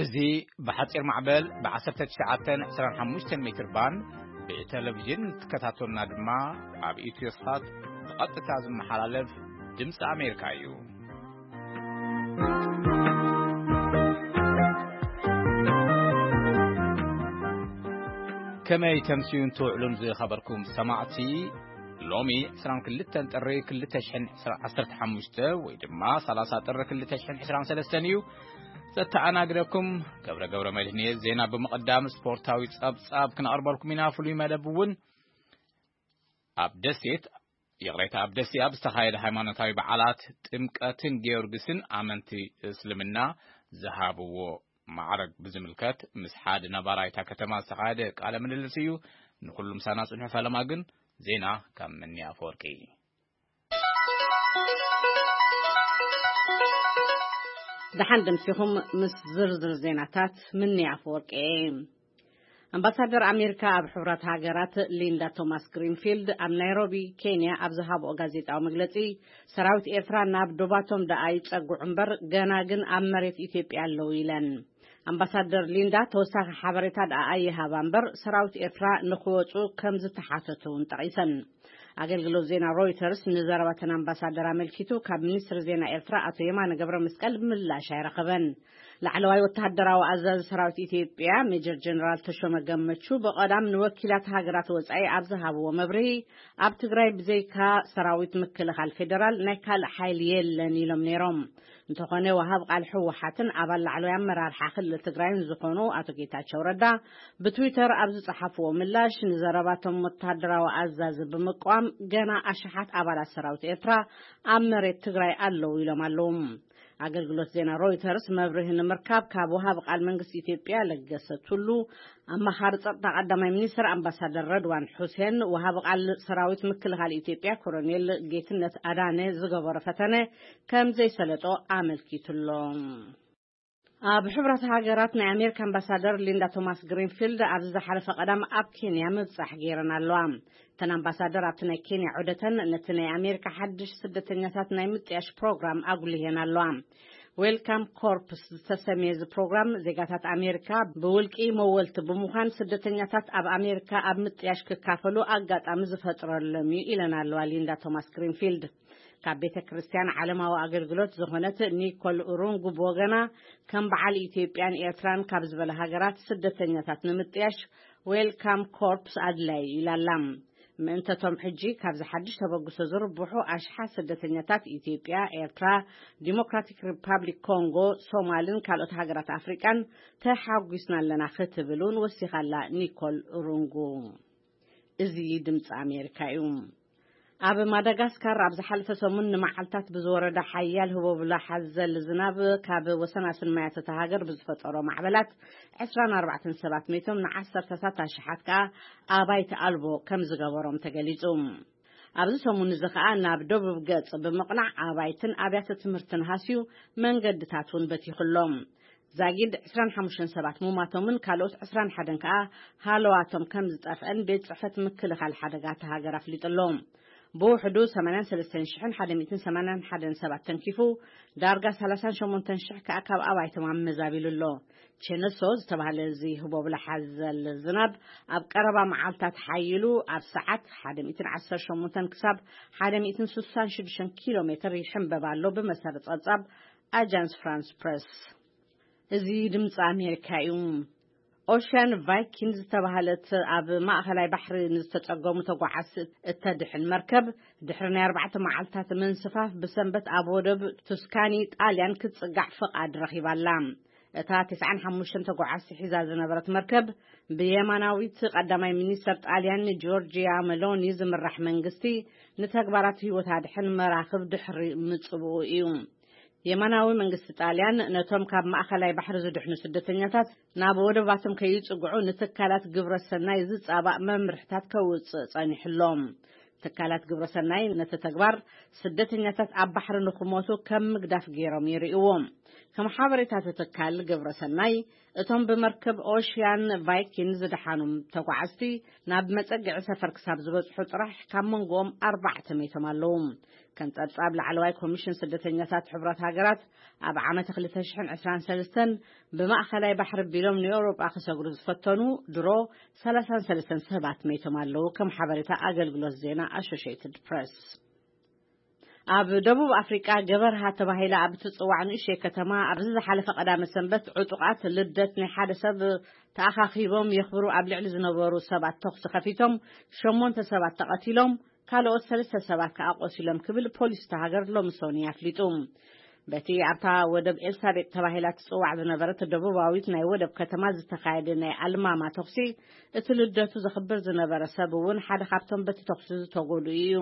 እዚ ብሓጺር ማዕበል ብ19 25 ሜትር ባንድ ብቴሌቪዥን ትከታተሉና ድማ ኣብ ኢትዮሳት ብቐጥታ ዝመሓላለፍ ድምፂ ኣሜሪካ እዩ። ከመይ ተምስዩን ትውዕሉን ዝኸበርኩም ሰማዕቲ? ሎሚ 22 ጥሪ 2015 ወይ ድማ 30 ጥሪ 2023 እዩ። ዘተኣናግደኩም ገብረ ገብረ መድህን እየ። ዜና ብምቕዳም ስፖርታዊ ጸብጻብ ክነቕርበልኩም ኢና። ፍሉይ መደብ እውን ኣብ ደሴት፣ ይቕሬታ፣ ኣብ ደሴ ኣብ ዝተኻየደ ሃይማኖታዊ በዓላት ጥምቀትን ጊዮርጊስን ኣመንቲ እስልምና ዝሃብዎ ማዕረግ ብዝምልከት ምስ ሓደ ነባራይ እታ ከተማ ዝተኻየደ ቃለ ምልልስ እዩ። ንኹሉ ምሳና ጽንሑ፣ ፈለማ ግን ዜና ካብ ምኒ ኣፈወርቂ። ደሓን ደምሲኹም ምስ ዝርዝር ዜናታት ምኒ ኣፈወርቂ እየ። ኣምባሳደር ኣሜሪካ ኣብ ሕቡራት ሃገራት ሊንዳ ቶማስ ግሪንፊልድ ኣብ ናይሮቢ ኬንያ ኣብ ዝሃብኦ ጋዜጣዊ መግለጺ፣ ሰራዊት ኤርትራ ናብ ዶባቶም ደኣ ይጸግዑ እምበር ገና ግን ኣብ መሬት ኢትዮጵያ ኣለዉ ኢለን። ኣምባሳደር ሊንዳ ተወሳኺ ሓበሬታ ደኣ ኣይሃባ እምበር ሰራዊት ኤርትራ ንኽወጹ ከም ዝተሓተቱ እውን ጠቒሰን። ኣገልግሎት ዜና ሮይተርስ ንዘረባተን ኣምባሳደር ኣመልኪቱ ካብ ሚኒስትሪ ዜና ኤርትራ ኣቶ የማነ ገብረ መስቀል ምላሽ ኣይረኸበን። ላዕለዋይ ወተሃደራዊ ኣዛዚ ሰራዊት ኢትዮጵያ ሜጀር ጀነራል ተሾመ ገመቹ ብቐዳም ንወኪላት ሃገራት ወጻኢ ኣብ ዝሃብዎ መብርሂ፣ ኣብ ትግራይ ብዘይካ ሰራዊት ምክልኻል ፌደራል ናይ ካልእ ሓይሊ የለን ኢሎም ነይሮም። እንተኾነ ወሃብ ቃል ህወሓትን ኣባል ላዕለዋይ ኣመራርሓ ክልል ትግራይን ዝኾኑ ኣቶ ጌታቸው ረዳ ብትዊተር ኣብ ዝጸሓፍዎ ምላሽ፣ ንዘረባቶም ወተሃደራዊ ኣዛዚ ብምቋም ገና ኣሽሓት ኣባላት ሰራዊት ኤርትራ ኣብ መሬት ትግራይ ኣለዉ ኢሎም ኣለዉ። ኣገልግሎት ዜና ሮይተርስ መብርሂ ንምርካብ ካብ ወሃብ ቃል መንግስቲ ኢትዮጵያ ለገሰ ቱሉ፣ ኣማኻሪ ጸጥታ ቀዳማይ ሚኒስትር ኣምባሳደር ረድዋን ሑሴን፣ ወሃብ ቃል ሰራዊት ምክልኻል ኢትዮጵያ ኮሎኔል ጌትነት ኣዳነ ዝገበሮ ፈተነ ከም ዘይሰለጦ ኣመልኪቱሎ። ኣብ ሕቡራት ሃገራት ናይ ኣሜሪካ ኣምባሳደር ሊንዳ ቶማስ ግሪንፊልድ ኣብዚ ዝሓለፈ ቀዳም ኣብ ኬንያ ምብጻሕ ገይረን ኣለዋ። እተን ኣምባሳደር ኣብቲ ናይ ኬንያ ዑደተን ነቲ ናይ ኣሜሪካ ሓድሽ ስደተኛታት ናይ ምጥያሽ ፕሮግራም ኣጉሊሄን ኣለዋ። ዌልካም ኮርፕስ ዝተሰምየ እዚ ፕሮግራም ዜጋታት ኣሜሪካ ብውልቂ መወልቲ ብምዃን ስደተኛታት ኣብ ኣሜሪካ ኣብ ምጥያሽ ክካፈሉ ኣጋጣሚ ዝፈጥረሎም እዩ ኢለን ኣለዋ ሊንዳ ቶማስ ግሪንፊልድ። ካብ ቤተ ክርስቲያን ዓለማዊ ኣገልግሎት ዝኾነት ኒኮል ሩንጉ ብወገና፣ ከም በዓል ኢትዮጵያን ኤርትራን ካብ ዝበላ ሃገራት ስደተኛታት ንምጥያሽ ዌልካም ኮርፕስ ኣድላይ ኢላ ኣላ። ምእንተቶም ሕጂ ካብዚ ሓድሽ ተበግሶ ዝርብሑ ኣሽሓት ስደተኛታት ኢትዮጵያ፣ ኤርትራ፣ ዲሞክራቲክ ሪፓብሊክ ኮንጎ፣ ሶማልን ካልኦት ሃገራት ኣፍሪቃን ተሓጒስና ኣለና ክትብል እውን ወሲኻላ ኒኮል ሩንጉ። እዚ ድምፂ ኣሜሪካ እዩ። ኣብ ማዳጋስካር ኣብ ዝሓለፈ ሰሙን ንመዓልታት ብዝወረደ ሓያል ህቦብላ ሓዘል ዝናብ ካብ ወሰናስን ማያት እታ ሃገር ብዝፈጠሮ ማዕበላት 24 ሰባት ሜቶም፣ ንዓሰርተታት ኣሽሓት ከኣ ኣባይቲ ኣልቦ ከም ዝገበሮም ተገሊጹ። ኣብዚ ሰሙን እዚ ከኣ ናብ ደቡብ ገጽ ብምቕናዕ ኣባይትን ኣብያተ ትምህርትን ሃስዩ፣ መንገድታት እውን በቲኹሎም። ዛጊድ 25 ሰባት ሙማቶምን ካልኦት 21 ከኣ ሃለዋቶም ከም ዝጠፍአን ቤት ጽሕፈት ምክልኻል ሓደጋ እታ ሃገር ኣፍሊጡ ኣሎ። ብውሕዱ 83,381 ሰባት ተንኪፉ፣ ዳርጋ 38,000 ከኣ ካብ ኣባይቶም ኣመዛቢሉ ኣሎ። ቼነሶ ዝተባህለ እዚ ህቦብላ ሓዘል ዝናብ ኣብ ቀረባ መዓልታት ሓይሉ ኣብ ሰዓት 118 ክሳብ 166 ኪሎ ሜትር ይሕንበብ ኣሎ፣ ብመሰረት ጸብጻብ ኣጃንስ ፍራንስ ፕረስ። እዚ ድምፂ ኣሜሪካ እዩ። ኦሽያን ቫይኪንግ ዝተባህለት ኣብ ማእኸላይ ባሕሪ ንዝተጸገሙ ተጓዓዝቲ እተድሕን መርከብ፣ ድሕሪ ናይ ኣርባዕተ መዓልታት ምንስፋፍ፣ ብሰንበት ኣብ ወደብ ቱስካኒ ጣልያን ክትጽጋዕ ፍቓድ ረኺባ ኣላ። እታ 95 ተጓዓዝቲ ሒዛ ዝነበረት መርከብ፣ ብየማናዊት ቀዳማይ ሚኒስተር ጣልያን ጆርጂያ መሎኒ ዝምራሕ መንግስቲ፣ ንተግባራት ህይወት ኣድሕን መራኽብ ድሕሪ ምጽብኡ እዩ። የማናዊ መንግስቲ ጣልያን ነቶም ካብ ማእኸላይ ባሕሪ ዝድሕኑ ስደተኛታት ናብ ወደባቶም ከይጽግዑ ንትካላት ግብረ ሰናይ ዝጻባእ መምርሕታት ከውጽእ ጸኒሑ ኣሎ። ትካላት ግብረ ሰናይ ነቲ ተግባር ስደተኛታት ኣብ ባሕሪ ንኽሞቱ ከም ምግዳፍ ገይሮም ይርእይዎ። ከም ሓበሬታ እቲ ትካል ግብረ ሰናይ፣ እቶም ብመርከብ ኦሽያን ቫይኪን ዝደሓኑ ተጓዓዝቲ ናብ መጸግዒ ሰፈር ክሳብ ዝበጽሑ ጥራሕ ካብ መንጎኦም ኣርባዕተ ሜቶም ኣለዉ። ከም ጸብጻብ ላዕለዋይ ኮሚሽን ስደተኛታት ሕቡራት ሃገራት፣ ኣብ ዓመት ክልተ ሽሕን ዕስራን ሰለስተን ብማእከላይ ባሕሪ ቢሎም ንኤውሮጳ ክሰግሩ ዝፈተኑ ድሮ ሰላሳን ሰለስተን ሰባት ሜቶም ኣለዉ፣ ከም ሓበሬታ ኣገልግሎት ዜና ኣሶሽየትድ ፕረስ። ኣብ ደቡብ ኣፍሪቃ ገበርሃ ተባሂላ ኣብ እትጽዋዕ ንእሽተይ ከተማ፣ ኣብዚ ዝሓለፈ ቀዳመ ሰንበት ዕጡቓት ልደት ናይ ሓደ ሰብ ተኣኻኺቦም የኽብሩ ኣብ ልዕሊ ዝነበሩ ሰባት ተኹሲ ከፊቶም፣ ሸሞንተ ሰባት ተቐቲሎም፣ ካልኦት ሰለስተ ሰባት ከኣ ቆሲሎም ክብል ፖሊስ እታ ሃገር ሎሚ ሶኒ ኣፍሊጡ። በቲ ኣብታ ወደብ ኤልሳቤጥ ተባሂላ ትጽዋዕ ዝነበረት ደቡባዊት ናይ ወደብ ከተማ ዝተኻየደ ናይ ኣልማማ ተኹሲ፣ እቲ ልደቱ ዘኽብር ዝነበረ ሰብ እውን ሓደ ካብቶም በቲ ተኹሲ ዝተጎድኡ እዩ።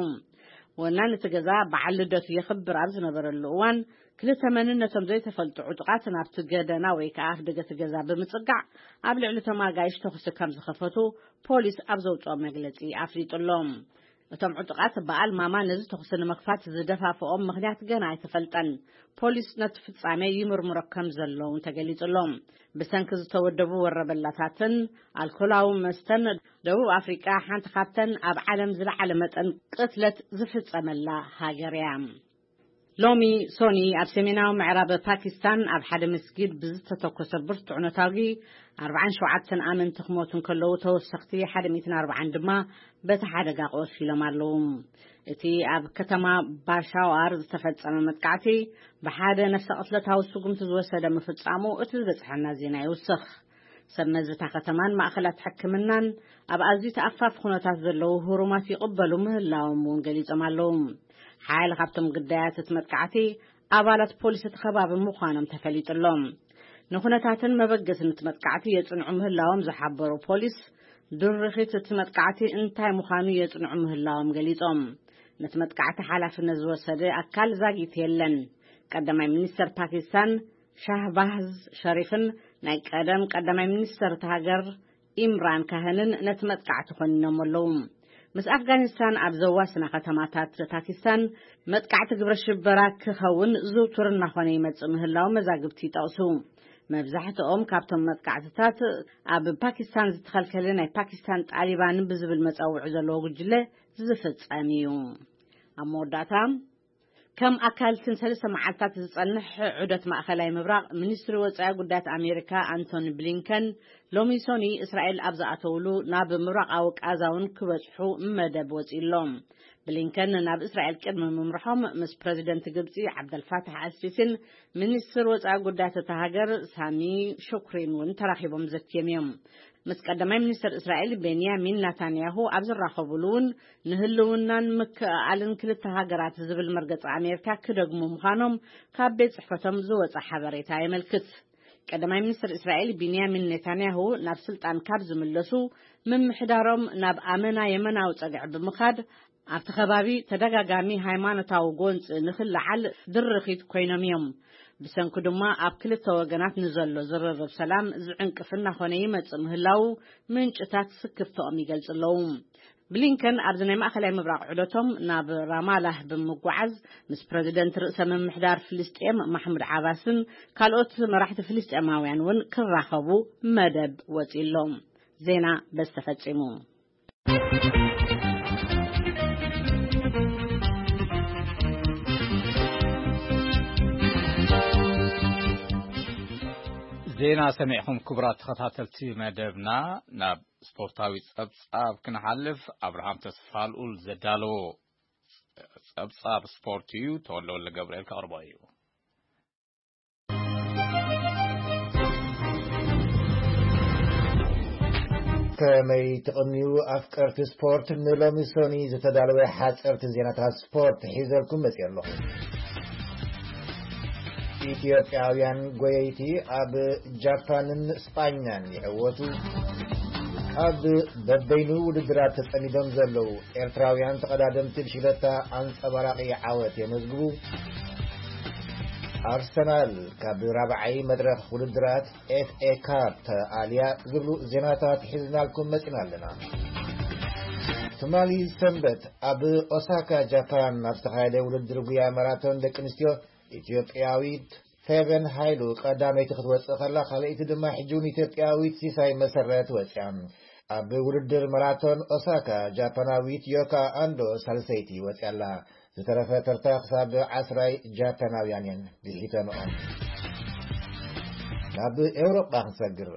ወናን እቲ ገዛ በዓል ልደቱ የኽብር ኣብ ዝነበረሉ እዋን፣ ክልተ መንነቶም ዘይተፈልጡ ዕጡቓት ናብቲ ገደና ወይ ከኣ ኣፍደገ እቲ ገዛ ብምጽጋዕ፣ ኣብ ልዕሊ እቶም ኣጋይሽ ተኹሲ ከም ዝኸፈቱ ፖሊስ ኣብ ዘውጽኦ መግለጺ ኣፍሊጡ ኣሎ። እቶም ዕጡቓት በዓል ማማ ነዚ ተኹሲ ንምኽፋት ዝደፋፍኦም ምኽንያት ገና ኣይተፈልጠን። ፖሊስ ነቲ ፍጻሜ ይምርምሮ ከም ዘሎ እውን ተገሊጹ ኣሎ። ብሰንኪ ዝተወደቡ ወረበላታትን ኣልኮላዊ መስተን፣ ደቡብ ኣፍሪቃ ሓንቲ ካብተን ኣብ ዓለም ዝለዓለ መጠን ቅትለት ዝፍጸመላ ሃገር እያ። ሎሚ ሶኒ ኣብ ሰሜናዊ ምዕራብ ፓኪስታን ኣብ ሓደ መስጊድ ብዝተተኮሰ ብርቱዕ ነታጒ ኣርባዓን ሸውዓተን ኣመንቲ ክሞቱ እንከለዉ፣ ተወሰኽቲ ሓደ ሚእትን ኣርባዓን ድማ በቲ ሓደጋ ቆሲሎም ኣለዉ። እቲ ኣብ ከተማ ባሻዋር ዝተፈጸመ መጥቃዕቲ ብሓደ ነፍሰ ቅትለታዊ ስጉምቲ ዝወሰደ ምፍጻሙ እቲ ዝበጽሐና ዜና ይውስኽ። ሰብ መዚ እታ ከተማን ማእኸላት ሕክምናን ኣብ ኣዝዩ ተኣፋፊ ኩነታት ዘለዉ ህሩማት ይቕበሉ ምህላዎም እውን ገሊጾም ኣለዉ። ሓያለ ካብቶም ግዳያት እቲ መጥቃዕቲ ኣባላት ፖሊስ እቲ ከባቢ ምዃኖም ተፈሊጡ ኣሎ። ንኩነታትን መበገስን እቲ መጥቃዕቲ የጽንዑ ምህላዎም ዝሓበሩ ፖሊስ፣ ድርኺት እቲ መጥቃዕቲ እንታይ ምዃኑ የጽንዑ ምህላዎም ገሊጾም። ነቲ መጥቃዕቲ ሓላፍነት ዝወሰደ ኣካል ዛጊት የለን። ቀዳማይ ሚኒስተር ፓኪስታን ሻህባዝ ሸሪፍን ናይ ቀደም ቀዳማይ ሚኒስተር እታ ሃገር ኢምራን ካህንን ነቲ መጥቃዕቲ ኮኒኖም ኣለዉ። ምስ ኣፍጋኒስታን ኣብ ዘዋስና ከተማታት ፓኪስታን መጥቃዕቲ ግብረ ሽበራ ክኸውን ዝውቱር እናኾነ ይመጽእ ምህላው መዛግብቲ ይጠቕሱ። መብዛሕትኦም ካብቶም መጥቃዕትታት ኣብ ፓኪስታን ዝተኸልከለ ናይ ፓኪስታን ጣሊባን ብዝብል መጸውዒ ዘለዎ ጉጅለ ዝፍጸም እዩ። ኣብ መወዳእታ፣ ከም ኣካል እተን ሰለስተ መዓልታት ዝጸንሕ ዑደት ማእከላይ ምብራቕ፣ ሚኒስትሪ ወጻኢ ጉዳያት ኣሜሪካ ኣንቶኒ ብሊንከን ሎሚ ሶኒ እስራኤል ኣብ ዝኣተውሉ ናብ ምብራቓዊ ቃዛ እውን ክበጽሑ መደብ ወጺኡ ኣሎ። ብሊንከን ናብ እስራኤል ቅድሚ ምምርሖም ምስ ፕረዚደንት ግብጺ ዓብደልፋታሕ ኣልሲሲን ሚኒስትር ወጻኢ ጉዳያት እታ ሃገር ሳሚ ሹክሪን እውን ተራኺቦም ዘትዮም እዮም። ምስ ቀዳማይ ሚኒስትር እስራኤል ቤንያሚን ናታንያሁ ኣብ ዝራኸቡሉ እውን ንህልውናን ምክእኣልን ክልተ ሃገራት ዝብል መርገጺ ኣሜሪካ ክደግሙ ምዃኖም ካብ ቤት ጽሕፈቶም ዝወጸ ሓበሬታ የመልክት። ቀዳማይ ሚኒስትር እስራኤል ቢንያሚን ኔታንያሁ ናብ ስልጣን ካብ ዝምለሱ፣ ምምሕዳሮም ናብ ኣመና የመናዊ ጸግዒ ብምኻድ ኣብቲ ከባቢ ተደጋጋሚ ሃይማኖታዊ ጎንፂ ንክለዓል ድርኺት ኮይኖም እዮም። ብሰንኩ ድማ ኣብ ክልተ ወገናት ንዘሎ ዝርርብ ሰላም ዝዕንቅፍ እናኾነ ይመጽእ ምህላው ምንጭታት ስክፍተኦም ይገልጹ ኣለዉ። ብሊንከን ኣብዚ ናይ ማእኸላይ ምብራቕ ዑደቶም ናብ ራማላህ ብምጓዓዝ ምስ ፕረዚደንት ርእሰ ምምሕዳር ፍልስጤም ማሕሙድ ዓባስን ካልኦት መራሕቲ ፍልስጤማውያን እውን ክራኸቡ መደብ ወጺሎም። ዜና በዚ ተፈጺሙ። ዜና ሰሚዕኹም ክቡራት ተኸታተልቲ መደብና። ናብ ስፖርታዊ ጸብጻብ ክንሓልፍ፣ ኣብርሃም ተስፋልኡል ዘዳለዎ ጸብጻብ ስፖርት እዩ። ተወልደ ወልደ ገብርኤል ከቕርቦ እዩ። ከመይ ትቕንዩ ኣፍቀርቲ ስፖርት፣ ንሎሚ ሶኒ ዝተዳለወ ሓጸርቲ ዜናታት ስፖርት ሒዘልኩም መጺአ ኣለኹ። ኢትዮጵያውያን ጎየይቲ ኣብ ጃፓንን ስጳኛን ይዕወቱ። ኣብ በበይኑ ውድድራት ተጸሚዶም ዘለዉ ኤርትራውያን ተቐዳደምቲ ብሽግለታ ኣንጸባራቒ ዓወት የመዝግቡ። ኣርሰናል ካብ ራብዓይ መድረኽ ውድድራት ኤፍ ኤ ካፕ ተኣልያ ዝብሉ ዜናታት ሒዝናልኩም መጺና ኣለና። ትማሊ ሰንበት ኣብ ኦሳካ ጃፓን ኣብ ዝተኻየደ ውድድር ጉያ ማራቶን ደቂ ኣንስትዮ፣ ኢትዮጵያዊት ፌቨን ሃይሉ ቀዳመይቲ ክትወጽእ ከላ፣ ካልኣይቲ ድማ ሕጂ እውን ኢትዮጵያዊት ሲሳይ መሰረት ወጽያ። ኣብ ውድድር ማራቶን ኦሳካ ጃፓናዊት ዮካ ኣንዶ ሳልሰይቲ ወጽያ ኣላ። ዝተረፈ ተርታ ክሳብ ዓስራይ ጃፓናውያን እየን ብሒተንኦ። ናብ ኤውሮጳ ክንሰግር።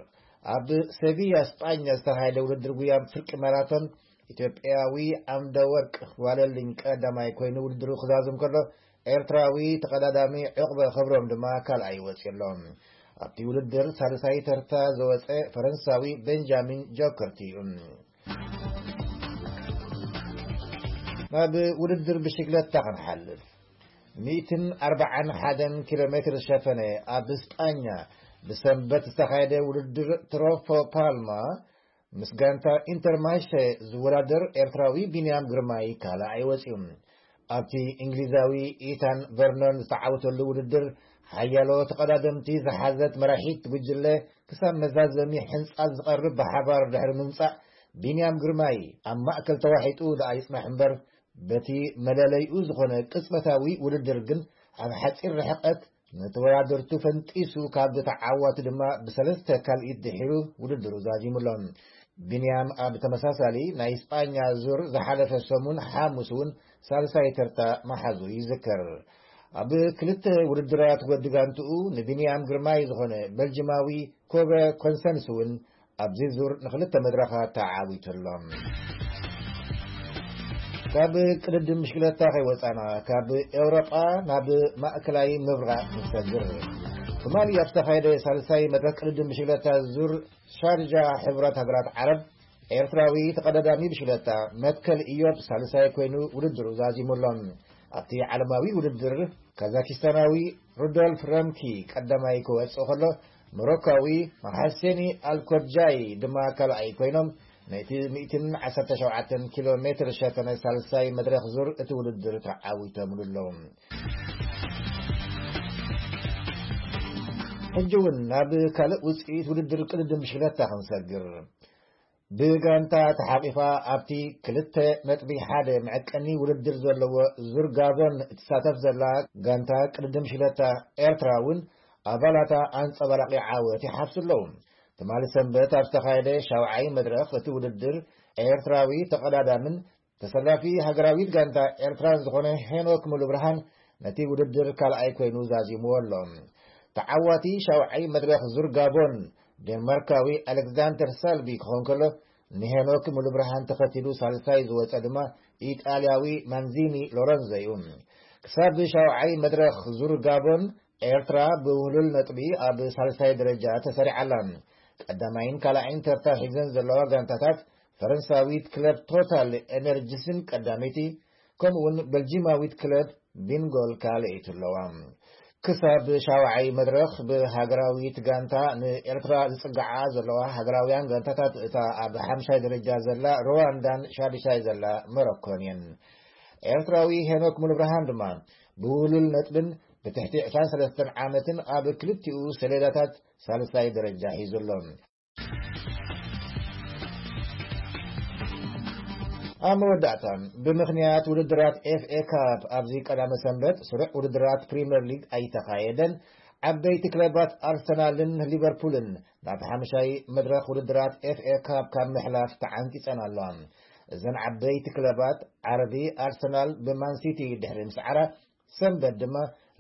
ኣብ ሴቪያ ስጳኛ ዝተኻየደ ውድድር ጉያ ፍርቂ ማራቶን ኢትዮጵያዊ ዓምደ ወርቅ ዋለልኝ ቀዳማይ ኮይኑ ውድድሩ ክዛዝም ከሎ፣ ኤርትራዊ ተቐዳዳሚ ዕቕበ ክብሮም ድማ ካልኣይ ወፂኡ ኣሎ። ኣብቲ ውድድር ሳልሳይ ተርታ ዝወፀ ፈረንሳዊ ቤንጃሚን ጆከርቲ እዩ። ናብ ውድድር ብሽግለታ ክንሓልፍ። ሚእትን ኣርባዓን ሓደን ኪሎ ሜትር ዝሸፈነ ኣብ ስጳኛ ብሰንበት ዝተኻየደ ውድድር ትሮፎ ፓልማ ምስ ጋንታ ኢንተርማሸ ዝወዳደር ኤርትራዊ ቢንያም ግርማይ ካልኣይ ወፂኡ። ኣብቲ እንግሊዛዊ ኢታን ቨርኖን ዝተዓወተሉ ውድድር ሓያሎ ተቐዳደምቲ ዝሓዘት መራሒት ጉጅለ ክሳብ መዛዘሚ ሕንጻ ዝቐርብ ብሓባር ድሕሪ ምምጻእ፣ ቢንያም ግርማይ ኣብ ማእከል ተዋሒጡ ደኣ ይጽናሕ እምበር፣ በቲ መለለይኡ ዝኾነ ቅጽበታዊ ውድድር ግን ኣብ ሓጺር ርሕቀት ንተወዳደርቱ ፈንጢሱ ካብ ተዓዋቲ ድማ ብሰለስተ ካልኢት ድሒሩ ውድድሩ ዛዚሙ ኣሎ። ቢንያም ኣብ ተመሳሳሊ ናይ ስጳኛ ዙር ዝሓለፈ ሰሙን ሓሙስ እውን ሳልሳይ ተርታ መሓዙ ይዝከር። ኣብ ክልተ ውድድራት ወዲ ጋንትኡ ንቢንያም ግርማይ ዝኾነ በልጅማዊ ኮበ ኮንሰንስ እውን ኣብዚ ዙር ንክልተ መድረኻት ተዓዊቱ ኣሎ። ካብ ቅድድም ብሽክለታ ከይወፃና፣ ካብ ኤውሮጳ ናብ ማእከላይ ምብራቕ ንሰግር። ትማሊ ኣብ ዝተኻየደ ሳልሳይ መድረኽ ቅድድም ብሽክለታ ዙር ሻርጃ ሕቡራት ሃገራት ዓረብ፣ ኤርትራዊ ተቐዳዳሚ ብሽክለታ መትከል ኢዮብ ሳልሳይ ኮይኑ ውድድሩ ዛዚሙ ኣሎ። ኣብቲ ዓለማዊ ውድድር ካዛኪስታናዊ ሩዶልፍ ረምኪ ቀዳማይ ክወጽእ ከሎ፣ ሞሮካዊ መሓሴኒ ኣልኮድጃይ ድማ ካልኣይ ኮይኖም፣ ነቲ ሚእትን ዓሰርተ ሸውዓተን ኪሎ ሜትር ዝሸፈነ ሳልሳይ መድረኽ ዙር እቲ ውድድር ተዓዊቶምሉ ኣለዉ። ሕጂ እውን ናብ ካልእ ውጽኢት ውድድር ቅድድም ብሽክለታ ክንሰግር። ብጋንታ ተሓቂፋ ኣብቲ ክልተ ነጥቢ ሓደ መዐቀኒ ውድድር ዘለዎ ዙር ጋቦን እትሳተፍ ዘላ ጋንታ ቅድድም ሽለታ ኤርትራ እውን ኣባላታ ኣንጸባራቂ ዓወት ይሓፍሱ ኣለዉ። ትማሊ ሰንበት ኣብ ዝተኻየደ ሻውዓይ መድረኽ እቲ ውድድር፣ ኤርትራዊ ተቐዳዳምን ተሰላፊ ሃገራዊት ጋንታ ኤርትራን ዝኾነ ሄኖክ ሙሉብርሃን ነቲ ውድድር ካልኣይ ኮይኑ ዛዚምዎ ኣሎ። ተዓዋቲ ሻውዓይ መድረኽ ዙር ጋቦን፣ ዴንማርካዊ ኣሌክዛንደር ሳልቢ ክኸውን ከሎ፣ ንሄኖክ ሙሉብርሃን ተኸቲሉ ሳልሳይ ዝወጸ ድማ ኢጣልያዊ ማንዚኒ ሎረንዞ እዩ። ክሳብ ሻውዓይ መድረኽ ዙር ጋቦን፣ ኤርትራ ብውህሉል ነጥቢ ኣብ ሳልሳይ ደረጃ ተሰሪዓ ኣላ። ቀዳማይን ካልኣይን ተርታ ሒዘን ዘለዋ ጋንታታት፣ ፈረንሳዊት ክለብ ቶታል ኤነርጂስን ቀዳመይቲ፣ ከምኡውን በልጂማዊት ክለብ ቢንጎል ካልኣይቲ ኣለዋ። ክሳብ ሻውዓይ መድረኽ ብሃገራዊት ጋንታ ንኤርትራ ዝጽግዓ ዘለዋ ሃገራውያን ጋንታታት፣ እታ ኣብ ሓምሻይ ደረጃ ዘላ ሩዋንዳን ሻድሻይ ዘላ ሞሮኮን እየን። ኤርትራዊ ሄኖክ ሙሉብርሃን ድማ ብውሉል ነጥብን ብትሕቲ ዕስራን ሰለስተን ዓመትን ኣብ ክልቲኡ ሰሌዳታት ሳልሳይ ደረጃ ሒዙ ኣሎ። ኣብ መወዳእታ፣ ብምኽንያት ውድድራት ኤፍ ኤ ካፕ ኣብዚ ቀዳመ ሰንበት ስሩዕ ውድድራት ፕሪምየር ሊግ ኣይተኻየደን። ዓበይቲ ክለባት ኣርሰናልን ሊቨርፑልን ናብ ሓምሻይ መድረኽ ውድድራት ኤፍ ኤ ካፕ ካብ ምሕላፍ ተዓንቂጸን ኣለዋ። እዘን ዓበይቲ ክለባት ዓርቢ ኣርሰናል ብማን ሲቲ ድሕሪ ምስዓራ፣ ሰንበት ድማ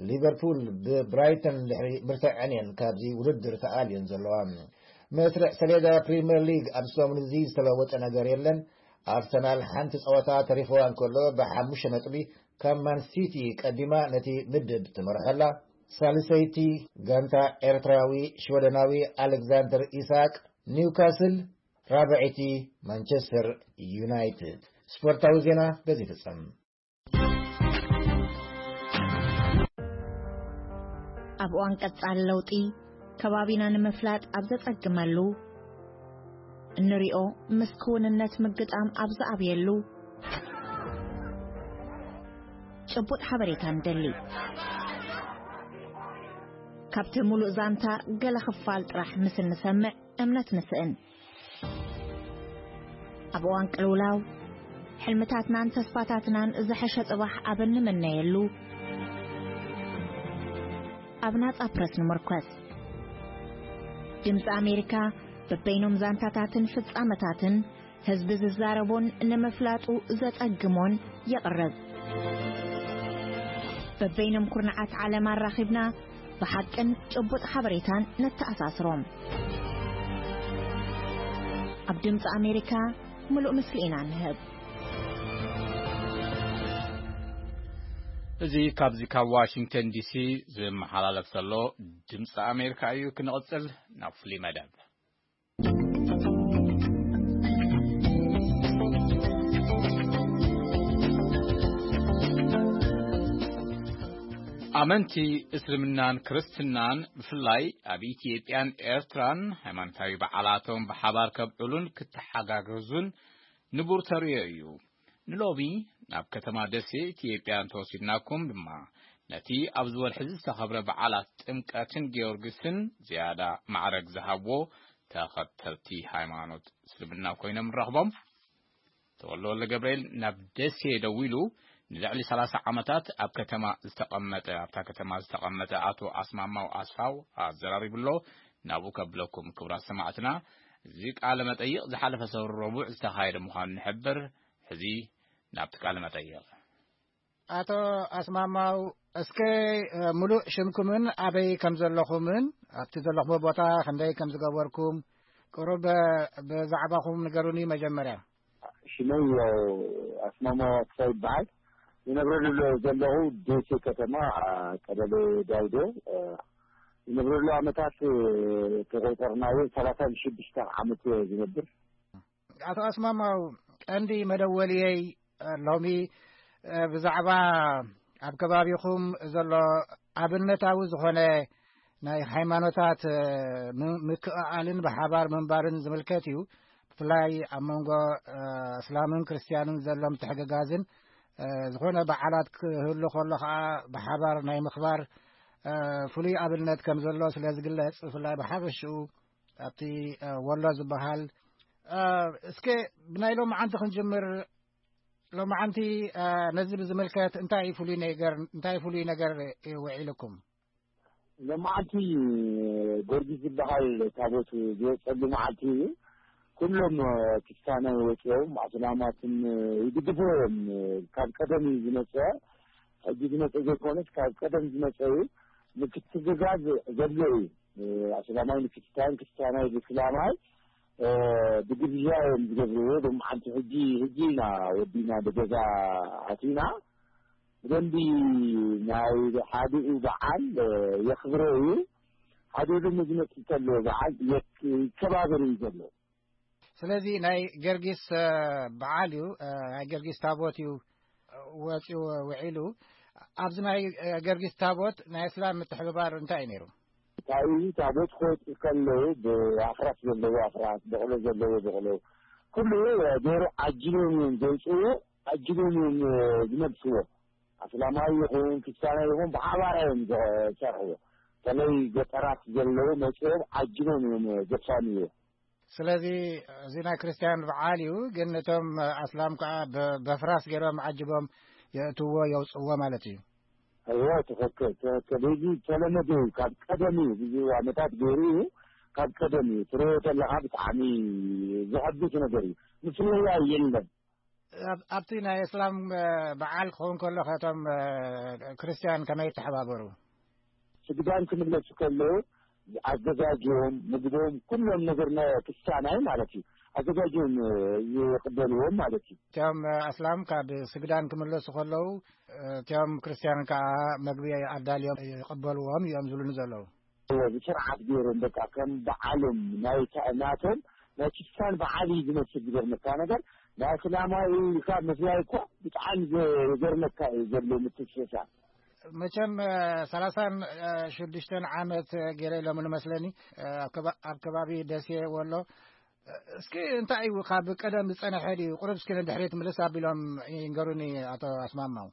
ሊቨርፑል ብብራይተን ድሕሪ ምርትዐን እየን ካብዚ ውድድር ተኣልየን ዘለዋ። መስርዕ ሰሌዳ ፕሪምየር ሊግ ኣብ ሰሙን እዚ ዝተለወጠ ነገር የለን። ኣርሰናል ሓንቲ ጸወታ ተሪፍዋ እንከሎ፣ ብሓሙሽተ ነጥቢ ካብ ማን ሲቲ ቀዲማ ነቲ ምድብ ትመርሖ ኣላ። ሳልሰይቲ ጋንታ ኤርትራዊ ሽወደናዊ ኣሌክዛንደር ኢሳቅ፣ ኒውካስል፣ ራብዐይቲ ማንቸስተር ዩናይትድ። ስፖርታዊ ዜና በዚ ይፍጸም። ኣብ እዋን ቀጻሊ ለውጢ፣ ከባቢና ንምፍላጥ ኣብ ዘጸግመሉ፣ እንሪኦ ምስ ክውንነት ምግጣም ኣብ ዝኣብየሉ፣ ጭቡጥ ሓበሬታ ንደሊ። ካብቲ ሙሉእ ዛንታ ገለ ክፋል ጥራሕ ምስ እንሰምዕ እምነት ንስእን። ኣብ እዋን ቅልውላው፣ ሕልምታትናን ተስፋታትናን ዝሐሸ ጽባሕ ኣብ እንምነየሉ፣ ኣብ ናጻ ፕረስ ንምርኮስ። ድምጺ ኣሜሪካ በበይኖም ዛንታታትን ፍጻመታትን ህዝቢ ዝዛረቦን ንምፍላጡ ዘጸግሞን የቕርብ። በበይኖም ኩርናዓት ዓለም ኣራኺብና ብሓቅን ጭቡጥ ሓበሬታን ነተኣሳስሮም። ኣብ ድምጺ ኣሜሪካ ምሉእ ምስሊ ኢና ንህብ። እዚ ካብዚ ካብ ዋሽንግተን ዲሲ ዝመሓላለፍ ዘሎ ድምፂ ኣሜሪካ እዩ። ክንቕፅል ናብ ፍሉይ መደብ። ኣመንቲ እስልምናን ክርስትናን ብፍላይ ኣብ ኢትዮጵያን ኤርትራን ሃይማኖታዊ በዓላቶም ብሓባር ከብዕሉን ክተሓጋገዙን ንቡር ተርእዮ እዩ። ንሎሚ ናብ ከተማ ደሴ ኢትዮጵያ እንተወሲድናኩም ድማ ነቲ ኣብዚ ወርሒ እዚ ዝተኸብረ በዓላት ጥምቀትን ጊዮርጊስን ዝያዳ ማዕረግ ዝሃብዎ ተኸተልቲ ሃይማኖት እስልምና ኮይኖም ንረኽቦም። ተወልደ ወልደ ገብርኤል ናብ ደሴ ደዊሉ ንልዕሊ ሰላሳ ዓመታት ኣብ ከተማ ዝተቐመጠ ኣብታ ከተማ ዝተቐመጠ ኣቶ ኣስማማው ኣስፋው ኣዘራሪቡ ኣሎ። ናብኡ ከብለኩም ክቡራት ሰማዕትና፣ እዚ ቃለ መጠይቕ ዝሓለፈ ሰብሪ ረቡዕ ዝተኻየደ ምዃኑ ንሕብር። ሕዚ ናብቲ ቃለ መጠይቕ። ኣቶ ኣስማማው፣ እስከ፣ እ፣ ምሉእ ሽምኩምን ኣበይ ከም ዘለኹምን ኣብቲ ዘለኹምዎ ቦታ ክንደይ ከም ዝገበርኩም ቁሩብ፣ እ፣ ብዛዕባኹም ንገሩኒ መጀመርያ። ሽመይ ያው ኣስማማው ኣስፋው ይበሃል። ይነብረሉ ዘለኹ ደሴ ከተማ፣ አ፣ ቀበሌ ዳውዶ፣ እ፣ ይነብረሉ ዓመታት፣ እ፣ ተቆጠርናዮ ሰላሳን ሽዱሽተን ዓመት ዝነብር። ኣቶ ኣስማማው፣ ቀንዲ መደወልየይ፣ እ፣ ሎሚ፣ እ፣ ብዛዕባ ኣብ ከባቢኹም ዘሎ ኣብነታዊ ዝኾነ ናይ ሃይማኖታት፣ እ፣ ም-፣ ምክእኣልን ብሓባር ምንባርን ዝምልከት እዩ። ብፍላይ ኣብ መንጎ፣ እ፣ እስላምን ክርስትያንን ዘሎ ምትሕግጋዝን፣ እ፣ ዝኾነ በዓላት ክህሉ ከሎ ኸዓ ብሓባር ናይ ምኽባር፣ እ፣ ፍሉይ ኣብነት ከም ዘሎ ስለ ዝግለጽ፣ ብፍላይ ብሓፈሽኡ ኣብቲ፣ እ፣ ወሎ ዝበሃል፣ እ፣ እስከ ብናይ ሎምዓንቲ ክንጅምር። ሎምዓንቲ፣ እ፣ ነዚ ብዝምልከት እንታይ እዩ ፍሉይ ነገር፣ እንታይ ፍሉይ ነገር እዩ ውዒልኩም? ሎምዓንቲ ጊዮርጊስ ዝበሃል ታቦት ዝወፀሉ መዓልቲ እዩ። ኩሎም፣ እ፣ ክስታናይ ወፂኦም ኣስላማትን፣ እ፣ ይድግፍዎ እዮም። እ፣ ካብ ቀደም እዩ ዝመፀ። ሕጂ ዝመፀ ዘይኮነስ ካብ ቀደም ዝመፀ እዩ። ምትሕግጋዝ ዘሎ እዩ። እ፣ ኣስላማይ ንክስታን፣ ክስታናይ ብስላማይ፣ እ፣ ብግብዣ እዮም ዝገብርዎ። ሎምዓንቲ ሕጂ፣ ሕጂ ኢና ወዲና ንገዛ ኣቲና። ብደንቢ ናይ ሓዲኡ በዓል፣ እ፣ የኽብሮ እዩ። ሓዲኡ ድማ ዝመጽእ ከሎ በዓል የክ-፣ ይከባበር እዩ ዘሎ። ስለዚ ናይ ገርጊስ፣ እ፣ በዓል እዩ፣ እ፣ ናይ ገርጊስ ታቦት እዩ፣ እ፣ ወጺኡ ውዒሉ። ኣብዚ ናይ፣ እ፣ ገርጊስ ታቦት ናይ እስላም ምትሕብባር እንታይ እዩ ነይሩ? እንታይ እዩ፣ ታቦት ክወጽእ ከለዉ ብኣፍራስ ዘለዎ ኣፍራስ፣ በቕሎ ዘለዎ በቕሎ፣ ኩሉ፣ እ፣ ገይሩ ዓጂቦም እዮም ዘውጽእዎ፣ ዓጂቦም እዮም፣ እ፣ ዝመልስዎ። ኣስላማዊ ይኹን ክርስትያናዊ ይኹን ብሓባር እዮም ዝሰርሕዎ። በተለይ ገጠራት ዘለዉ መጺኦም ዓጂቦም እዮም ዘፋንይዎ። ስለዚ እዚ ናይ ክርስትያን በዓል እዩ፣ ግን እቶም ኣስላም ከኣ ብ-፣ በፍራስ ገይሮም ዓጂቦም የእትዎ፣ የውጽእዎ ማለት እዩ። እወ፣ ትኽክል፣ ትኽክል። እዚ ዝተለመደ እዩ፣ ካብ ቀደም እዩ፣ ብዙ ዓመታት ገይሩ እዩ፣ ካብ ቀደም እዩ። ትርእዮ ተለኻ ብጣዕሚ ዘሐጉስ ነገር እዩ። ምፍልላይ የለን። ኣብ-፣ ኣብቲ ናይ እስላም፣ እ፣ በዓል ክኸውን ከሎ፣ ከቶም፣ እ፣ ክርስትያን ከመይ ይተሓባበሩ? ስግዳን ክምለሱ ከለዉ ኣዘጋጅዮም፣ ምግቦም፣ ኩሎም ነገር ናይ ክርስትያናይ ማለት እዩ፣ ኣዘጋጅዮም፣ እ፣ ይቕበልዎም ማለት እዩ። እቶም፣ እ፣ ኣስላም ካብ ስግዳን ክምለሱ ከለዉ፣ እ፣ እቶም ክርስትያን ከኣ መግቢ ኣዳልዮም ይቕበልዎም እዮም ዝብሉኒ ዘለዉ። እዎ፣ ብስርዓት ገይሮም፣ በቃ ከም በዓሎም ናይ ታ-፣ ናቶም ናይ ክርስትያን በዓል እዩ ዝመስል። ዝገርመካ ነገር፣ ናይ እስላማዊ ኢልካ ምፍላይ እኳ ብጣዕሚ ዘ-፣ ዘገርመካ እዩ ዘሎ ምትስሳር። መቸም፣ እ፣ ሰላሳን፣ እ፣ ሽዱሽተን ዓመት ገይረ ኢሎም ንመስለኒ፣ እ፣ ኣብ ከባ-፣ ኣብ ከባቢ ደሴ ወሎ። እ፣ እስኪ እንታይ እዩ ካብ ቀደም ዝጸንሐ ድዩ? ቁሩብ እስኪ ንድሕሪት ምልስ ኣቢሎም ይንገሩኒ ኣቶ ኣስማማው።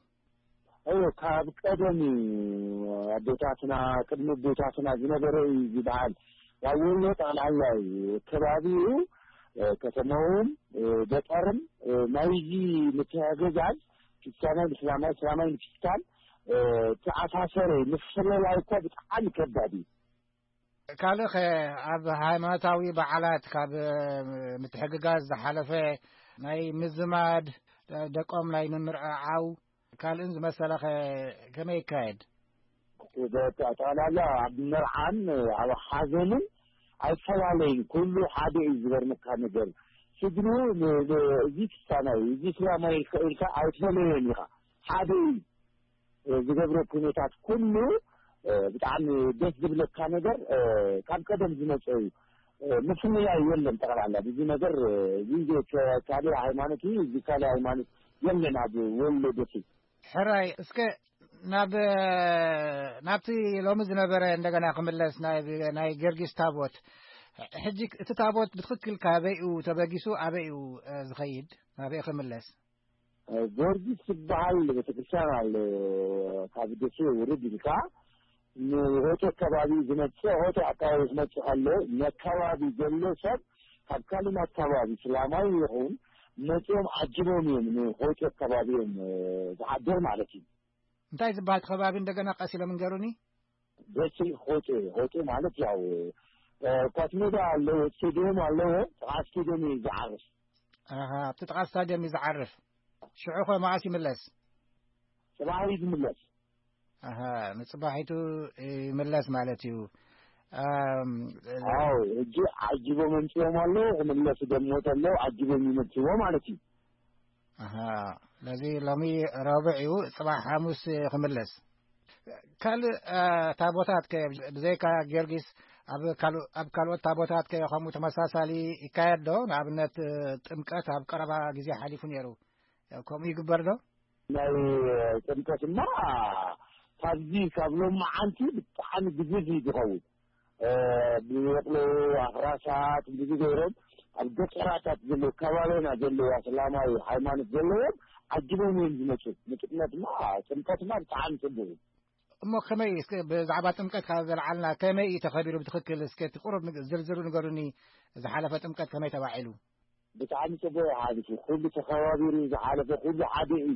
እዎ፣ ካብ ቀደም እዩ። ኣቦታትና፣ ቅድሚ ኣቦታትና ዝነበረ እዩ ዝበሃል። ኣብ ወሎ ጠቕላላ እዩ። ከባቢኡ፣ እ፣ ከተማውን፣ እ፣ ገጠርን፣ እ፣ ናይዚ ምትሕግጋዝ፣ ክርስትያናይ ንእስላማይ፣ እስላማይ ንክርስቲያን፣ እ፣ ተኣሳሰረ ምፍልላይ እኮ ብጣዕሚ ከባድ እዩ። ካልእ ኸ፣ ኣብ ሃይማኖታዊ በዓላት ካብ ምትሕግጋዝ ዝሓለፈ ናይ ምዝማድ፣ ደቆም ናይ ምምርዓው ካልእን ዝመሰለ ኸ ከመይ ይካየድ? በቃ ጠቕላላ ኣብ መርዓን ኣብ ሓዘንን ኣይፈላለይን። ኩሉ ሓደ እዩ። ዝገርመካ ነገር ስድሩ ን-፣ ን-፣ እዚ ክስታናይ፣ እዚ እስላማይ ኢልካ፣ ኢልካ ኣይትፈለዮን ኢኻ። ሓደ እዩ። እ፣ ዝገብሮ ኩነታት ኩሉ፣ እ፣ ብጣዕሚ ደስ ዝብለካ ነገር፣ እ፣ ካብ ቀደም ዝመጸ እዩ። እ፣ ምፍልላይ የለን ጠቕላላ። እዚ ነገር፣ እ፣ እዚ ከ-፣ ካልእ ሃይማኖት እዩ፣ እዚ ካልእ ሃይማኖት የለን ኣብ ወሎ ደሴ። ሕራይ፣ እስከ ናብ፣ ናብቲ ሎሚ ዝነበረ እንደገና ክምለስ፣ ናይ፣ ናይ ጊዮርጊስ ታቦት። ሕጂ እቲ ታቦት ብትኽክል ካበይ እዩ ተበጊሱ፣ ኣበይ እዩ፣ እ፣ ዝኸይድ፣ ናበይ ክምለስ? እ፣ ጊዮርጊስ ዝበሃል ቤተክርስትያን ኣሎ ካብ ደሴ ውርድ ኢልካ ንሆጤ ከባቢ ዝመጽእ፣ ሆጤ ኣካባቢ ክመጽእ ከሎ ነካባቢ ዘሎ ሰብ ካብ ካልእ ኣካባቢ እስላማዊ ይኹን መጺኦም ዓጅቦም እዮም ንሆጤ ከባቢ እዮም፣ እ፣ ዝሓድር ማለት እዩ። እንታይ ዝበሃል ከባቢ እንደገና ቀስ ኢሎም እንገሩኒ? ደሴ ሆጤ፣ ሆጤ ማለት ያው፣ እ፣ ኳስ ሜዳ ኣለዎ፣ ስቴዲየም ኣለዎ፣ ጥቓ ስቴዲየም እዩ ዝዓርፍ። ኣሃ፣ ኣብቲ ጥቓ ስታዲየም እዩ ዝዓርፍ። ሽዑ ኸ መዓስ ይምለስ? ጽባሕ እዩ ዝምለስ። ኣሃ፣ ንጽባሒቱ ይምለስ ማለት እዩ። ኣም፣ ኣዎ፣ ሕጂ ዓጂቦም ኣምጺኦም ኣለዉ፣ ክምለሱ ደሞ ተለዉ ዓጂቦም ይመጽዎ ማለት እዩ። ኣሃ፣ ስለዚ ሎሚ ረቡዕ እዩ፣ ጽባሕ ሓሙስ ክምለስ። ካልእ፣ እ፣ ታቦታት ከ ብዘይካ ጊዮርጊስ ኣብ ካልእ፣ ኣብ ካልኦት ታቦታት ከ ከምኡ ተመሳሳሊ ይካየድ ዶ? ንኣብነት፣ እ፣ ጥምቀት ኣብ ቀረባ ግዜ ሓሊፉ ነይሩ። ከምኡ ይግበር ዶ? ናይ ጥምቀትማ ካብዚ ካብ ሎማዓንቲ ብጣዕሚ ግዙፍ እዩ ዝኸውን። እ፣ ብበቕሎ ኣፍራሳት ብዙ ገይሮም ኣብ ገጠራታት ዘለዉ ከባቢና ዘለዉ ኣስላማዊ ሃይማኖት ዘለዎም ዓጅቦም እዮም ዝመፁ። ንጥምቀትማ፣ ጥምቀትማ ብጣዕሚ ፅቡቅ እዩ። እሞ ከመይ፣ እስከ ብዛዕባ ጥምቀት ካብ ዘልዓልና፣ ከመይ እዩ ተኸቢሩ ብትኽክል? እስከ እቲ ቁሩብ ንግ-፣ ዝርዝሩ ንገሩኒ። ዝሓለፈ ጥምቀት ከመይ ተባዒሉ? ብጣዕሚ ጽቡቕ እዩ ሓሊፉ። ኩሉ ተኸባቢሩ ዝሓለፈ ኩሉ ሓደ እዩ።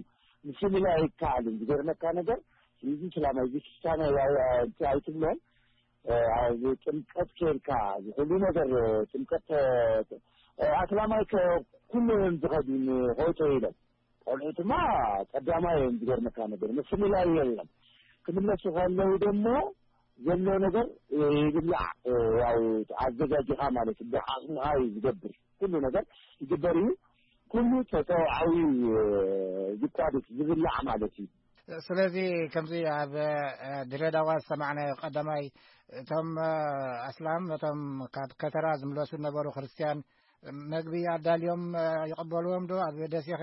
ምፍልላይ ኣይከኣልን። ዝገርመካ ነገር፣ እዚ እስላማይ፣ እዚ ክርስትያናይ ኣይ-፣ ኣይ-፣ ኣይትብሎን። እ፣ ኣብ ጥምቀት ኬድካ፣ እዚ ኩሉ ነገር፣ እ፣ ጥምቀት፣ እ፣ ኣስላማይ ከ-፣ ኩሉ እዮም ዝኸዱ ንሆይቶ ኢሎም። ቆልዑ ድማ ቀዳማይ እዮም። ዝገርመካ ነገር፣ ምፍልላይ የለን። ክምለሱ ከለዉ ደሞ ዘሎ ነገር ይብላዕ፣ ያው ኣዘጋጅኻ ማለት እዩ። ብዓቕምኻ እዩ ዝገብር። ኩሉ ነገር ይግበር እዩ። ኩሉ ተጠውዓዊ እዩ ዝቋደስ፣ ዝብላዕ ማለት እዩ። ስለዚ ከምዚ ኣብ፣ እ፣ ድሬዳዋ ዝሰማዕናዮ ቀዳማይ፣ እቶም፣ እ፣ ኣስላም ነቶም ካብ ከተራ ዝምለሱ ዝነበሩ ክርስትያን መግቢ ኣዳልዮም፣ እ፣ ይቕበልዎም ዶ ኣብ ደሴኸ?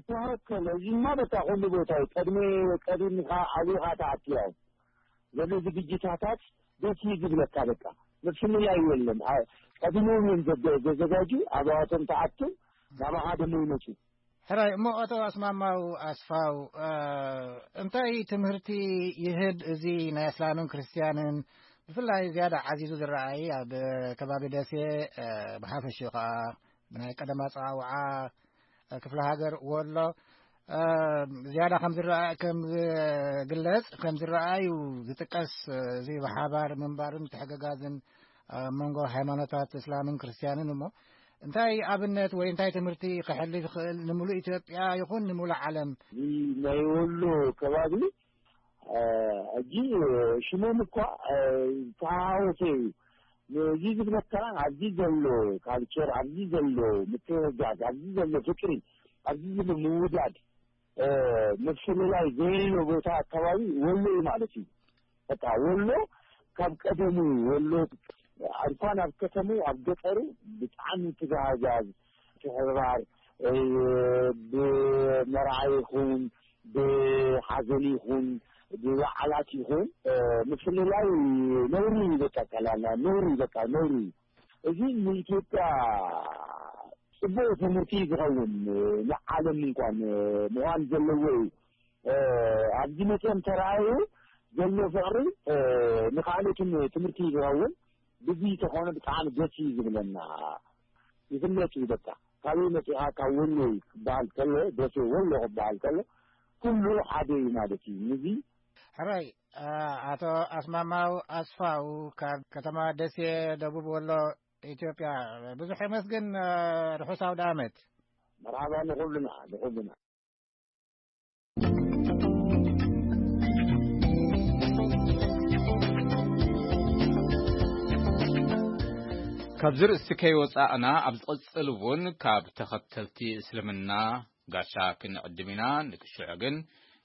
ተወከለ። እዚማ በቃ ኩሉ ቦታ እዩ። ቀድሚ፣ ቀዲምካ ኣቢኻ ትኣቱ። ያው ዘሎ ዝግጅታታት ደስ እዩ ዝብለካ። በቃ ምፍልላይ የለን። ኣ-፣ ቀዲሞም እዮም ዘዘ-፣ ዘዘጋጁ። ኣባዋቶም ትኣቱ፣ ናባኻ ደሞ ይመፁ። ሕራይ እሞ፣ ኣቶ ኣስማማው ኣስፋው፣ እ፣ እንታይ ትምህርቲ ይህብ እዚ ናይ እስላምን ክርስትያንን ብፍላይ ዝያዳ ዓዚዙ ዝረኣይ ኣብ ከባቢ ደሴ፣ እ፣ ብሓፈሽኡ ከኣ ብናይ ቀደም ኣጸዋውዓ ክፍለ ሃገር ወሎ፣ እ፣ ዝያዳ ከም ዝረኣ-፣ ከም ዝግለጽ፣ ከም ዝረኣዩ ዝጥቀስ፣ እዚ ብሓባር ምንባርን ምትሕግጋዝን ኣብ መንጎ ሃይማኖታት እስላምን ክርስትያንን እሞ እንታይ ኣብነት ወይ እንታይ ትምህርቲ ከሕልፍ ይኽእል ንምሉእ ኢትዮጵያ ይኹን ንምሉእ ዓለም? እዚ ናይ ወሎ ከባቢ፣ እ፣ ሕጂ ሽሞም እኳ፣ እ፣ ዝተሃወሰ እዩ። እዚ ዝብለካ ኣብዚ ዘሎ ካልቸር፣ ኣብዚ ዘሎ ምትሕግጋዝ፣ ኣብዚ ዘሎ ፍቅሪ፣ ኣብዚ ዘሎ ምውዳድ፣ እ፣ ምፍልላይ ዘይብሎ ቦታ ኣካባቢ ወሎ እዩ ማለት እዩ። በቃ ወሎ ካብ ቀደሙ ወሎ እንኳን ኣብ ከተሙ ኣብ ገጠሩ ብጣዕሚ ትጋሃዛዝ፣ ትሕብባር፣ እ፣ ብመርዓ ይኹን ብሓዘን ይኹን ብበዓላት ይኹን፣ እ፣ ምፍልላይ ነውሪ እዩ። በቃ ቀላልና ነውሪ እዩ። በቃ ነውሪ እዩ። እዚ ንኢትዮጵያ ጽቡቕ ትምህርቲ ዝኸውን፣ ንዓለም እንኳን ምዃን ዘለዎ እዩ። እ፣ ኣብዚ መጽኦም ተራእዩ ዘሎ ፍቕሪ፣ እ፣ ንኻልኦትን ትምህርቲ ዝኸውን ብዚ ተኾነ ብጣዕሚ ደስ እዩ ዝብለና። ይፍለጥ እዩ በቃ። ካበይ መጺኻ? ካብ ወሎ እዩ ክበሃል ከሎ፣ ደሴ ወሎ ክበሃል ከሎ፣ ኩሉ ሓደ እዩ ማለት እዩ። ንዚ ሕራይ፣ ኣ-፣ ኣቶ ኣስማማው ኣስፋው ካብ ከተማ ደሴ፣ ደቡብ ወሎ፣ ኢትዮጵያ፣ ብዙሕ የመስግን። ርሑስ ኣውደ ዓመት። መርሓባ ንኹልና፣ ንኹልና። ካብዚ ርእሲ ከይወጻእና፣ ኣብ ዝቕጽል እውን ካብ ተኸተልቲ እስልምና ጋሻ ክንዕድም ኢና። ንክሽዑ ግን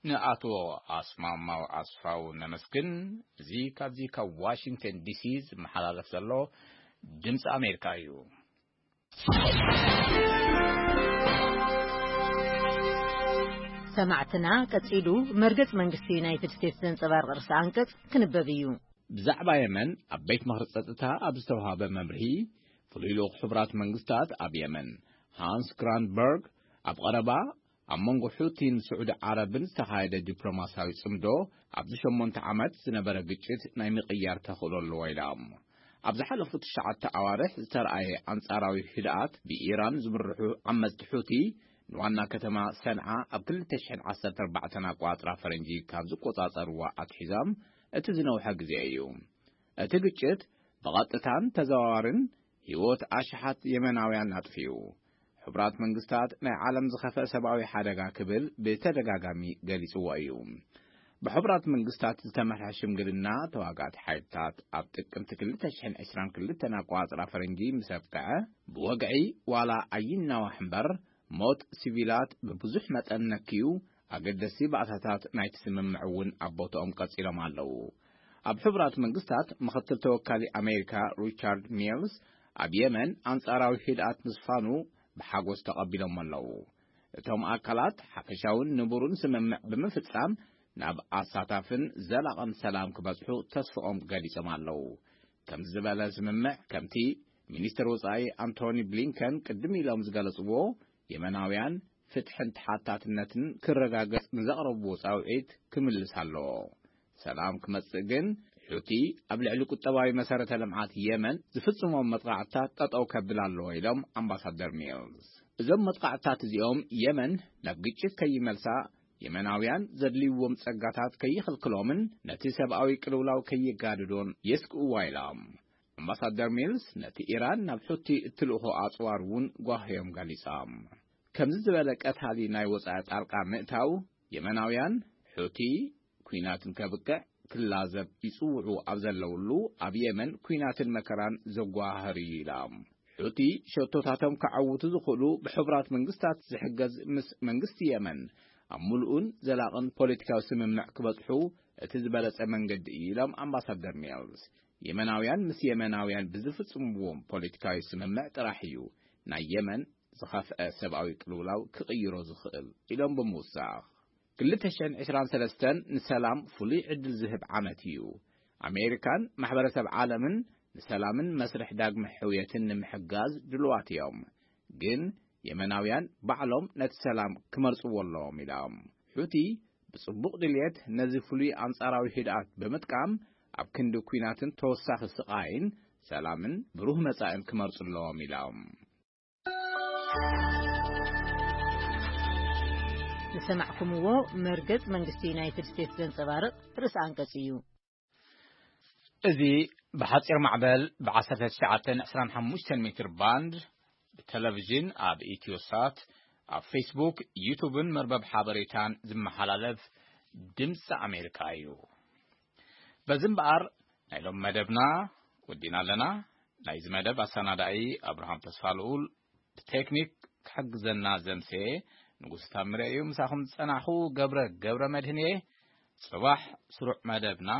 ንኣቶ ኣስማማው ኣስፋው ነመስግን። እዚ ካብዚ ካብ ዋሽንግተን ዲሲ ዝመሓላለፍ ዘሎ ድምፂ ኣሜሪካ እዩ። ሰማዕትና፣ ቀጺሉ መርገጽ መንግስቲ ዩናይትድ ስቴትስ ዘንጸባርቕ ርእሰ ኣንቀጽ ክንበብ እዩ። ብዛዕባ የመን ኣብ ቤት ምኽሪ ጸጥታ ኣብ ዝተዋህበ መምርሂ፣ ፍሉይ ልኡኽ ሕቡራት መንግስታት ኣብ የመን ሃንስ ግራንድበርግ፣ ኣብ ቐረባ ኣብ መንጎ ሑቲን ስዑዲ ዓረብን ዝተኻየደ ዲፕሎማስያዊ ጽምዶ፣ ኣብዚ ሸሞንተ ዓመት ዝነበረ ግጭት ናይ ምቕያር ተኽእሎ ኣለዎ ኢላ። ኣብ ዝሓለፉ ትሽዓተ ኣዋርሕ ዝተረኣየ ኣንጻራዊ ህድኣት፣ ብኢራን ዝምርሑ ዓመጽቲ ሑቲ ንዋና ከተማ ሰንዓ ኣብ ክልተ ሽሕን ዓሰርተ ኣርባዕተን ኣቋጽራ ፈረንጂ ካብ ዝቆጻጸርዋ ኣትሒዞም እቲ ዝነውሐ ግዜ እዩ። እቲ ግጭት ብቐጥታን ተዘዋዋርን ህይወት ኣሽሓት የመናውያን ኣጥፊኡ። ሕቡራት መንግስታት ናይ ዓለም ዝኸፍአ ሰብኣዊ ሓደጋ ክብል ብተደጋጋሚ ገሊጽዎ እዩ። ብሕቡራት መንግስታት ዝተመርሐ ሽምግልና ተዋጋእቲ ሓይልታት ኣብ ጥቅምቲ ክልተ ሽሕን ዕስራን ክልተን ኣቋጽራ ፈረንጂ ምስ ኣብቅዐ፣ ብወግዒ ዋላ ኣይናዋሕ እምበር፣ ሞት ሲቪላት ብብዙሕ መጠን ነክዩ፣ ኣገደስቲ ባእታታት ናይቲ ስምምዕ እውን ኣብ ቦታኦም ቀጺሎም ኣለዉ። ኣብ ሕቡራት መንግስታት ምኽትል ተወካሊ ኣሜሪካ ሪቻርድ ሚልስ፣ ኣብ የመን ኣንጻራዊ ህድኣት ምስፋኑ ብሓጎስ ተቐቢሎም ኣለዉ። እቶም ኣካላት ሓፈሻውን ንቡርን ስምምዕ ብምፍጻም ናብ ኣሳታፍን ዘላቕን ሰላም ክበጽሑ ተስፍኦም ገሊጾም ኣለዉ። ከምዚ ዝበለ ስምምዕ፣ ከምቲ ሚኒስትር ወጻኢ ኣንቶኒ ብሊንከን ቅድም ኢሎም ዝገለጽዎ፣ የመናውያን ፍትሕን ተሓታትነትን ክረጋገጽ ንዘቕረብዎ ጻውዒት ክምልስ ኣለዎ። ሰላም ክመጽእ ግን፣ ሑቲ ኣብ ልዕሊ ቁጠባዊ መሰረተ ልምዓት የመን ዝፍጽሞም መጥቃዕትታት ጠጠው ከብል ኣለዎ ኢሎም ኣምባሳደር ሚልስ። እዞም መጥቃዕትታት እዚኦም የመን ናብ ግጭት ከይመልሳ፣ የመናውያን ዘድልይዎም ጸጋታት ከይኽልክሎምን ነቲ ሰብኣዊ ቅልውላው ከየጋድዶን የስግእዋ ኢሎም። ኣምባሳደር ሚልስ ነቲ ኢራን ናብ ሑቲ እትልእኾ ኣጽዋር እውን ጓህዮም ገሊጾም። ከምዚ ዝበለ ቀታሊ ናይ ወጻኢ ጣልቃ ምእታው፣ የመናውያን ሑቲ ኲናትን ከብቅዕ ክላዘብ ይጽውዑ ኣብ ዘለውሉ፣ ኣብ የመን ኲናትን መከራን ዘጓሃህር እዩ ኢሎም። ሑቲ ሸቶታቶም ከዐውቱ ዝኽእሉ ብሕቡራት መንግስታት ዝሕገዝ ምስ መንግስቲ የመን ኣብ ምሉእን ዘላቕን ፖለቲካዊ ስምምዕ ክበጽሑ እቲ ዝበለጸ መንገዲ እዩ ኢሎም ኣምባሳደር ሚልስ። የመናውያን ምስ የመናውያን ብዝፍጽምዎም ፖለቲካዊ ስምምዕ ጥራሕ እዩ ናይ የመን ዝኸፍአ ሰብኣዊ ቅልውላው ክቕይሮ ዝኽእል ኢሎም ብምውሳኽ፣ ክልተ ሽሕን ዕስራን ሰለስተን ንሰላም ፍሉይ ዕድል ዝህብ ዓመት እዩ። ኣሜሪካን ማሕበረሰብ ዓለምን ንሰላምን መስርሕ ዳግመ ሕውየትን ንምሕጋዝ ድልዋት እዮም። ግን የመናውያን ባዕሎም ነቲ ሰላም ክመርጽዎ ኣለዎም ኢሎም። ሑቲ ብጽቡቕ ድልየት ነዚ ፍሉይ ኣንጻራዊ ህድኣት ብምጥቃም ኣብ ክንዲ ኲናትን ተወሳኺ ስቓይን ሰላምን ብሩህ መጻእን ክመርጹ ኣለዎም ኢሎም። ዝሰማዕኩምዎ መርገጽ መንግስቲ ዩናይትድ ስቴትስ ዘንጸባርቕ ርእሰ ኣንቀጽ እዩ። እዚ ብሓጺር ማዕበል ብ ዓሰርተ ትሽዓተን ዕስራን ሓሙሽተን ሜትር ባንድ ብቴሌቪዥን ኣብ ኢትዮሳት፣ ኣብ ፌስቡክ፣ ዩቱብን መርበብ ሓበሬታን ዝመሓላለፍ ድምፂ ኣሜሪካ እዩ። በዚ እምበኣር ናይ ሎም መደብና ወዲና ኣለና። ናይዚ መደብ ኣሰናዳኢ ኣብርሃም ተስፋ ልኡል፣ ብቴክኒክ ክሕግዘና ዘምሰየ ንጉስ ታምረ እዩ። ምሳኹም ዝጸናኹ ገብረ፣ ገብረ መድህን እየ። ጽባሕ ስሩዕ መደብና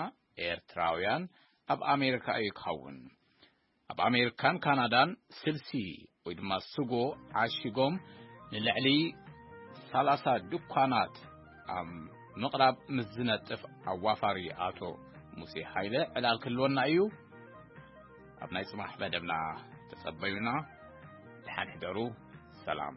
ኤርትራውያን ኣብ ኣሜሪካ እዩ ክኸውን። ኣብ ኣሜሪካን ካናዳን ስልሲ ወይ ድማ ስጎ ዓሺጎም ንልዕሊ ሰላሳ ድኳናት ኣብ ምቕራብ ምስ ዝነጥፍ ኣዋፋሪ ኣቶ ሙሴ ሃይለ ዕላል ክህልወና እዩ። ኣብ ናይ ጽባሕ መደብና ተጸበዩና። ደሓን ሕደሩ። ሰላም።